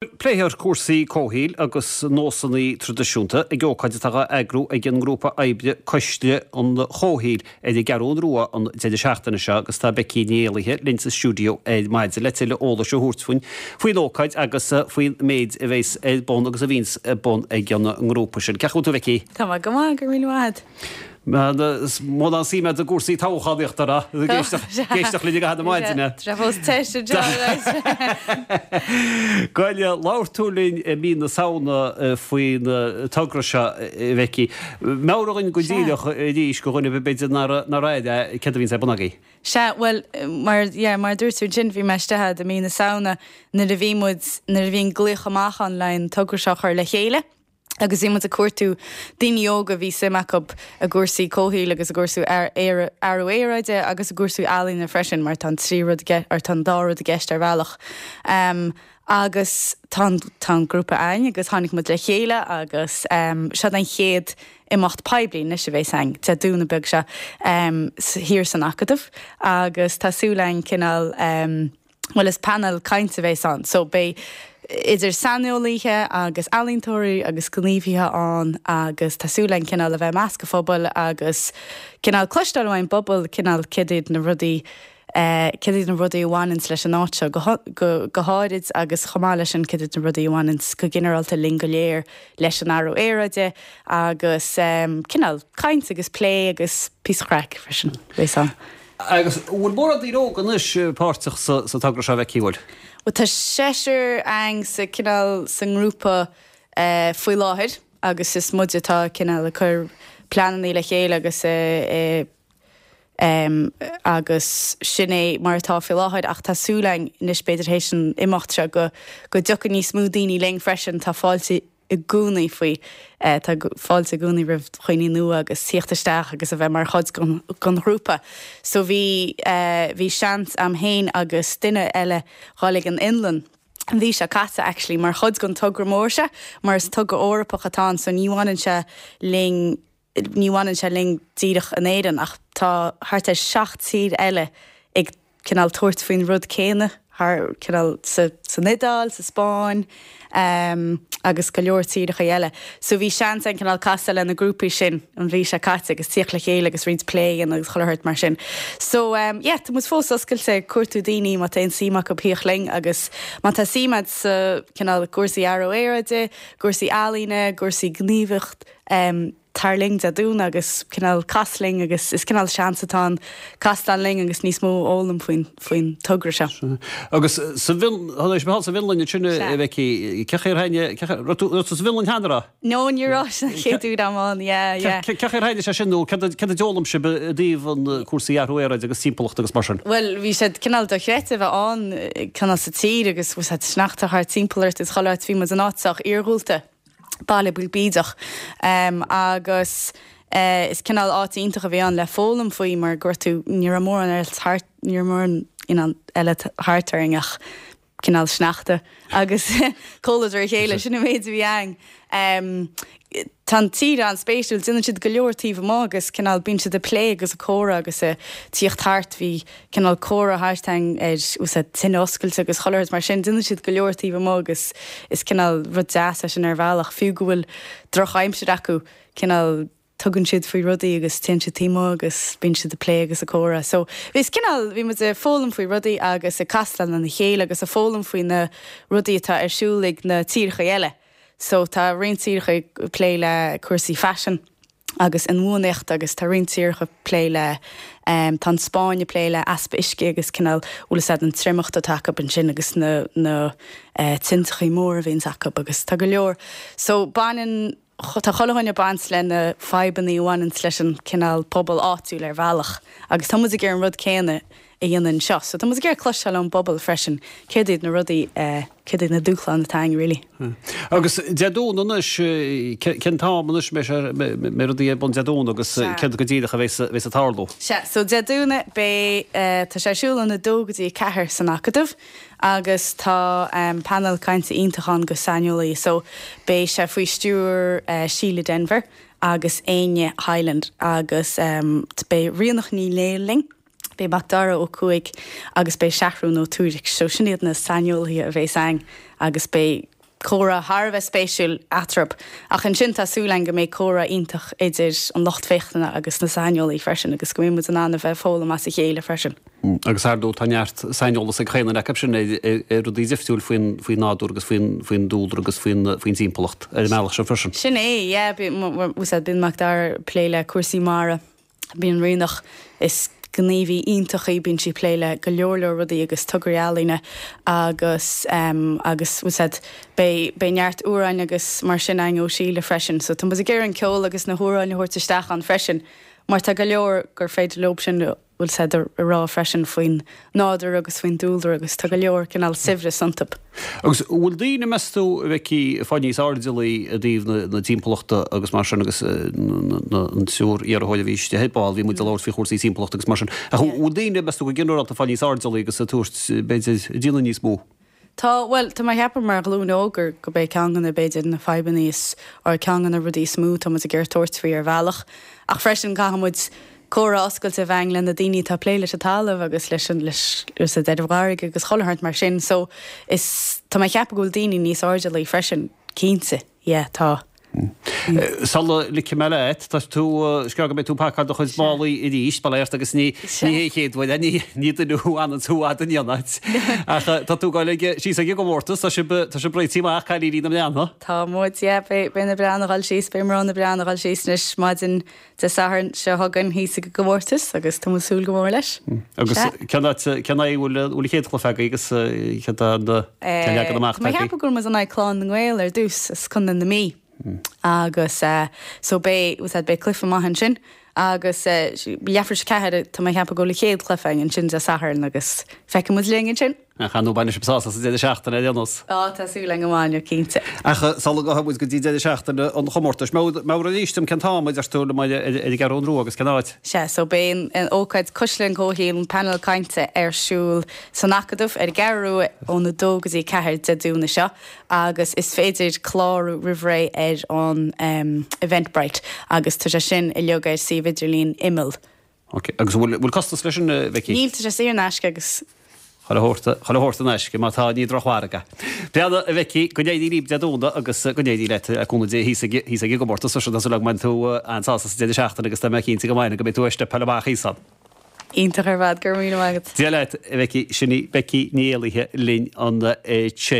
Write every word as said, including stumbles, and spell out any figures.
Pléifear cúrsaí comhshaoil agus nósanna traidisiúnta ag ócáid atá á eagrú ag an ngrúpa oibre Coiste an Chomhshaoil ar an gCeathrú Rua an deireadh seachtaine seo agus tá Becky Ní Éalaithe linn sa stiúideo ar maidin le tuilleadh eolais a thabhairt faoin faoin ócáid agus faoin méid a bheas ar bun agus a bhíonns ar bun ag an ngrúpa sin. Cén chaoi a bhfuil tú Becky? Tá mé go maith go raibh míle maith. Mó sí me a gcúrsaí toghchánaíochta éisteach le go maidine. Trefós te Gaile labhair tú linn i mí na Samhna faoin togra seo Bhecky. Meabhraigh go díreach arís do dhuine b'fhéidir nár aire céard a bhíonn ar bun agaibh. Sea well mar yeah, mar dúirt tú sin bhí mé istigh i mí na Samhna nuair a bhí muid nuair a bhí an glaoch amach ann le an togra seo chur le chéile. Agus bhí muid ag cuartú daoine óga bhí suim acu i gcúrsaí comhshaoil agus i gcúrsaí athrú aeráide agus i gcúrsaí ealaíne freisin, mar tá an trí rud ar tá an dá rud i gceist ar bhealach. Um, agus tá tá an grúpa ann agus tháinig muid le chéile agus um, seo an chéad imeacht poiblí anois a bheas ann Dé Domhnaigh beag seo um, thiar san Acadamh agus tá súil againn cineál um, well is panel cainte a bheas ann, so beidh idir saineolaithe agus ealaíontóirí agus gníomhaithe ann agus tá súil againn cineál a bheith i measc an phobail agus cineál cloisteáil ón bpobal cineál cad iad na rudaí Uh, cad iad na rudaí a bhaineanns leis an áit seo go, go, go háirid agus chomh maith leis sin cad iad na rudaí a bhaineanns go ginearálta linn go léir leis an athrú aeráide agus um, cineál caint agus plé agus píosa craic freisin bheas ann. Agus bhfuil mórán daoine óga anois páirteach sa, sa togra seo Bhecky bhfuil? Well tá seisear againn sa cineál sa ngrúpa uh, faoi láthair agus is muid atá cineál ag cur pleananna le chéile agus uh, uh, um, agus sin é mar atá faoi láthair ach tá súil againn anois b'fhéidir théis an imeacht seo go go dtiocfaidh níos mó daoine linn freisin tá fáilte i gcónaí faoi uh, tá fáilte i gcónaí roimh dhaoine nua agus tíocht isteach agus a bheith mar chuid den ghrúpa. So bhí uh, bhí seans agam féin agus duine eile dul ag an Fhionlainn. Bhí sé caite actually mar chuid den togra mór seo, mar is togra Eorpach atá ann so ní bhaineann sé linn ní bhaineann sé linn díreach in Éirinn ach tá thart ar seacht tír eile ag cineál tabhairt faoin rud céanna thar cineál sa, san Iodáil, sa Spáinn um, agus go leor tíortha eile. So bhí seans againn cineál casadh le na grúpaí sin an bhí sé caite agus tíocht le chéile agus roinnt plé agus chuile shórt mar sin. So um, yeah, tá muid fós oscailte cuartú daoine má tá aon suim acu tíocht linn agus má tá suim agat sa cineál cúrsaí athrú aeráide, cúrsaí ealaíne, cúrsaí gníomhaíocht um, tar linn Dé Domhnaigh agus cineál cas linn agus is cineál seans atá ann castáil linn agus níos mó a fhoghlaim faoin faoin togra seo. Agus sa sa Fhionlainn sin Bhecky cé haine sa Fhionlainn cheana? No ní raibh an chéad uair amháin Cé haine sé sin nó cad a d'fhoghlaim sibh i dtaobh an cúrsaí athrú aeráide agus timpeallacht agus mar sin. Well bhí siad cineál dochreidte bheith ann cineál sa tír agus bhí sneachta thart timpeall ort is chuile áit bhí muid in áit sách iargúlta. Baile beag bídeach um, agus uh, is cineál áit iontach a bhí ann le foghlaim faoi mar gur tú ní raibh mórán eile thart ní raibh mórán eile thart orainn ach cineál sneachta agus comhluadar a chéile sin an méid a bhí ann. Um, Tá an tír an-spéisiúil déanann siad go leor taobh amuigh agus cineál bíonn siad ag plé agus ag comhrá agus ag tíocht thart bhí cineál comhrá thart ar úsáid tine oscailte agus chuile shórt mar sin déanann siad go leor taobh amuigh agus is cineál rud deas é sin ar bhealach fiú go bhfuil drochaimsir acu cineál tugann siad faoi rudaí agus téann siad taobh amuigh agus bíonn siad ag plé agus ag comhrá. So bhí cineál bhí muid ag foghlaim faoi rudaí agus ag castáil lena chéile agus ag foghlaim faoi na rudaí atá ar siúl ag na tíortha eile. So tá roinnt tíortha ag plé le cúrsaí fashion agus inbhuanaitheacht agus tá roinnt tíortha ag plé le um, tá an Spáinn ag plé le easpa uisce agus cineál bhfuil an triomacht atá acu ansin agus na, na uh, tintreacha mór a bhíonn acu agus tá go leor. So baineann tá chuile dhuine baint le na fadhbanna a bhaineann leis an cineál pobal áitiúil ar bhealach agus tá muid ag iarraidh an rud céanna a dhéanamh anseo. So tá muid ag iarraidh cloisteáil ón bpobal freisin céard iad na rudaí uh, céard iad na dúshláin atá ann really. Hmm. Agus Dé Domhnaigh anois cén t-am anois mé rudaí bun Dé Domhnaigh agus céard go díreach a bheas ag tarlú. Sea, so Dé Domhnaigh beidh uh, tá sé ar siúl ón a dó go dtí ceathair san Acadamh agus tá um, panel cainte iontach ann go saineolaí, so beidh sé faoi stiúir uh, Síle Denver agus Áine Highland agus um, beidh Ríonach Ní Néill linn. Beidh Macdara Ó Cuaig agus beidh Seathrún Ó Tuairisg, so sin iad na saineolaithe a bheas ann agus beidh comhrá thar a bheith spéisiúil eatarthu. Ach ansin tá súil againn go mbeidh comhrá iontach idir an lucht féachana agus na saineolaí freisin agus go mbeidh muid in ann a bheith ag foghlaim as a chéile freisin. Agus ar ndóigh tá neart saineolas ag chaon duine acu sin ar rudaí difriúil faoin faoin nádúr agus faoin faoin dúlra agus faoin faoin timpeallacht ar an mbealach seo freisin. Sin é, yeah, bíonn Mac Dara ag plé le cúrsaí mara, bíonn Ríonach is gníomhaí iontach í, bíonn sí ag plé le go leor leor rudaí agus tograí ealaíne agus um, agus said beidh beidh neart amhráin agus mar sin againn ó Síle freisin, so tá muid ag iarraidh an ceol agus na hamhráin a thabhairt isteach ann freisin, mar tá go leor gur féidir leo sin bhfuil said a rá freisin faoin nádúr agus faoin dúlra agus tá go leor cineál saibhreas iontu. Agus bhfuil daoine meas tú a bheith ag fáil níos airdeallaí i dtaobh na timpeallachta agus mar sin agus an triúr iarrthóir a bhí istigh ar ball bhí muid ag labhairt faoi chúrsaí timpeallachta agus mar sin. Ach bhfuil daoine meas tú go ginearálta ag fáil níos airdeallaí agus ag tabhairt b'fhéidir déanamh níos mó. Tá well tá mé ag ceapadh mar ghlúin óg gur go b'é ceann de na b'fhéidir na fadhbanna is or ceann de na rudaí is mó tá muid ag iarraidh tabhairt faoi ar bhealach. Ach freisin caithfidh muid comhrá oscailte a bheith againn le na daoine atá ag plé leis an talamh agus leis an leis leis an bhfarraige agus chuile shórt mar sin so is tá mé ag ceapadh go bhfuil daoine níos airdeallaí freisin cinnte yeah tá. Sula ligfidh mé leat, tá tú scéal go mbeidh tú ag pacáil do chuid málaí arís, bail ort agus ní ní hé chéad uair ní ní duine thú anann tú fhad in aon áit. Ach tá tú ag goil ag síos ag an gcomórtas, tá sibh tá sibh réitithe amach cailíní na mBreathnach. Tá muid yeah beidh beidh na Breathnaigh ag dul síos beidh mná na Breathnach ag dul síos anois maidin Dé Sathairn seo chugainn thíos ag an gcomórtas agus tá muid ag súil go mór leis. Agus cén áit cén aghaidh bhfuil bhfuil an chéad chluiche agaibh agus céard an cén leagan amach Tá mé ag ceapadh go bhfuil muid in aghaidh Clann na nGael ar dtús as Contae na Mí. Agus so beidh said beidh cluiche maith ansin agus leathuair tar éis a ceathair tá mé ag ceapadh go bhfuil an chéad chluiche againn ansin Dé Sathairn agus feicfidh muid linn ansin. Ach ar ndóigh bainfidh sibh sásamh sa deireadh seachtaine ar aon nós. Á, tá súil againn go mbainfidh, cinnte. Ach sula ngabhfaidh muid go dtí deireadh seachtaine an chomórtais, meabhraigh arís dom cén t-am a deir tú liom ar an gCeathrú Rua agus cén áit? Sea, so beidh an ócáid Cuisle an Chomhshaoil, an painéal cainte ar siúl san Acadamh ar an gCeathrú Rua ón a dó go dtí a ceathair Dé Domhnaigh seo agus is féidir clárú roimh ré ar an Eventbrite agus tá sé sin uilig ar suíomh idirlín Imeall. Ok, agus an bhfuil costas leis sin, a Bheicí? Níl, tá sé saor in aisce agus. Chuile shórt, chuile shórt in aisce, má tá, ní drochmhargadh. Breathnaigh, a Bheicí, go n-éirí libh Dé Domhnaigh agus go n-éirí leat, le cúnamh Dé, thíos ag, thíos ag an gcomórtas freisin. Tá súil agam go mbainfidh tú an-sásamh sa deireadh seachtaine agus tá mé cinnte go mbainfidh, go mbeidh tú ag steipeáil amach thíos ann. Iontach ar fad, go raibh míle maith agat. Dia leat, a Bheicí, sin í Becky Ní Éalaithe linn ansin.